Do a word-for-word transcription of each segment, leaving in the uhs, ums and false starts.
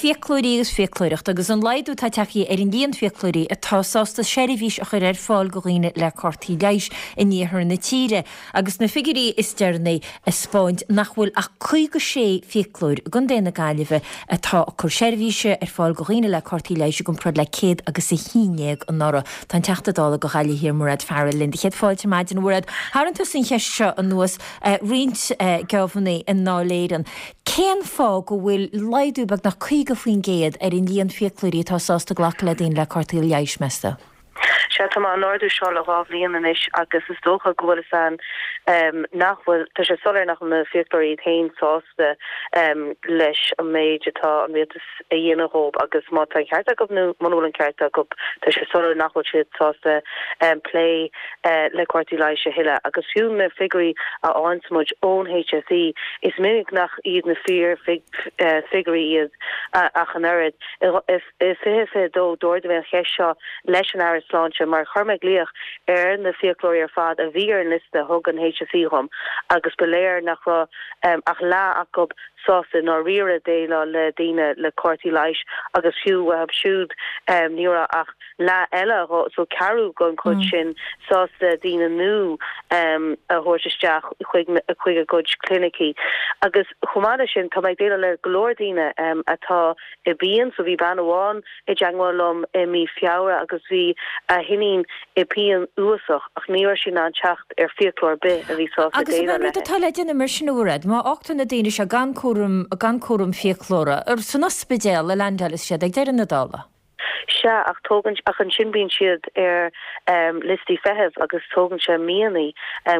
Fiaclóirí agus fiaclóireacht agus an laghdú atá tagtha ar an líon fiaclóirí atá sásta seirbhís a chur ar fáil do dhaoine le cártaí leighis in iarthar na tíre agus na figiúirí is deireanaí ag 'spáint nach bhfuil ach caoga sé fiaclóir i gContae na Gaillimhe atá ag cur seirbhíse ar fáil do dhaoine le cártaí leighis i gcomparáid le céad agus a haon déag anuraidh. Tá an Teachta Dála do Ghaillimh Thiar Mairéad Farrell linn. Céad fáilte ar maidin a Mhairéad. Tharraing tusa an cheist seo anuas roinnt geábhanna i nDáil Éireann. Cén fáth go bhfuil laghdú beagnach caoga faoin gcéad ar an líon fiaclóirí atá sásta glacadh le daoine le cártaí leighis, meas tú? Sea, tá mé á n-ardú seo le dhá bhliain anois agus is dócha go bhfuil a fhios a'm nach bhfuil, tá sé soiléir nach bhfuil na fiaclóirí iad féin sásta leis an méid atá an rialtas a dhéanamh dhóibh agus má tá an ceart acu nó muna bhfuil an ceart acu, tá sé soiléir nach bhfuil siad sásta plé le cártaí leighis a thuilleadh. Agus fiú na figiúirí a fhaigheanns muid ón HSE, is minic nach iad na fíor figiúirí iad ach an oiread. I fiche fiche dó, d'ardaigh mé an cheist seo leis an Aire Sláinte mar chuir mé glaoch ar na fiaclóirí ar fad a bhí ar an liosta a thug an HSE dhom agus ba léir nach raibh ach leath acu sásta i ndáiríre déileáil le daoine le cártaí leighis agus fiú uathu siúd ní raibh ach leath eile, so ceathrú den chuid sin, sásta daoine nua a thabhairt isteach chuig chuig a gcuid clinicí. Agus chomh maith leis sin, tá mé ag déileáil le go leor daoine atá i bpian, so bhí bean amháin i dteangmháil liom i mí Feabhra agus bhí a hiníon i bpian uafásach ach ní raibh sí in ann teacht ar fiaclóir ar bith a bhí sásta Agus an déileáil rud léi. atá le déanamh mar sin a Mhairéad, má fhágtar na daoine seo gan cúram gan cúram fiaclóra, ar san ospidéal a leaindeálfas siad ag deireadh na dála? Sea, ach tógann, ach ansin bíonn siad ar liostaí feithimh agus tógann sé míonna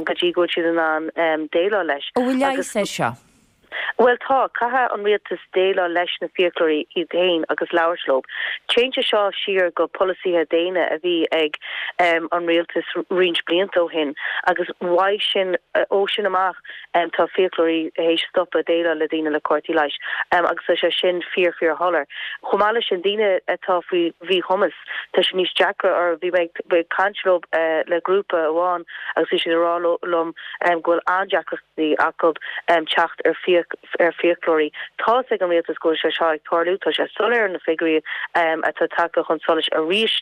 go dtí go bhfuil siad in ann déileáil leis. An bhfuil Agus leigheas air seo? Bhuel tá, caithfidh an rialtas déileáil leis na fiaclóirí iad féin agus labhairt leo. Téann sé seo siar go polasaithe déine a bhí ag an rialtas roinnt blianta ó shin agus uaidh sin, ó sin amach tá fiaclóirí théis stopadh déileáil le daoine le cártaí leighis agus tá sé sin fíor fíor shoiléir. Chomh maith leis sin, daoine atá faoi mhíchumas, tá sé níos deacra orthu. Bhí mé ag caint leo le grúpa amháin agus bhí siad ag rá liom go bhfuil an-deacrachtaí acu teacht ar ar fiaclóirí. Tá's ag an rialtas go bhfuil sé seo ag tarlú, tá sé soiléir na figiúirí atá tagtha chun solais arís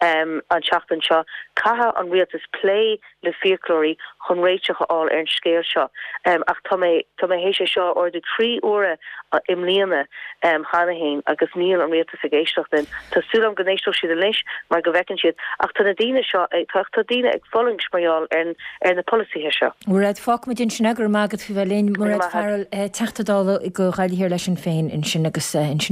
an tseachtain seo. Caithfidh an rialtas plé le fiaclóirí chun réiteach a fháil ar an scéal seo. Ach tá mé tá mé théis é seo a ardú trí huaire i mbliana cheana féin agus níl an rialtas ag éisteacht linn. Tá súil agam go n-éisteoidh siad anois mar go bhfeiceann siad ach tá na daoine seo ag tá tá daoine ag fulaingt mar gheall ar ar na polasaithe seo. Mairéad, fágfaimid ansin é, go raibh maith agat faoi bheith linn. Mairéad Farrell, Teachta Dála go Gaillimh Thiar le Sinn Féin ansin agus ansin.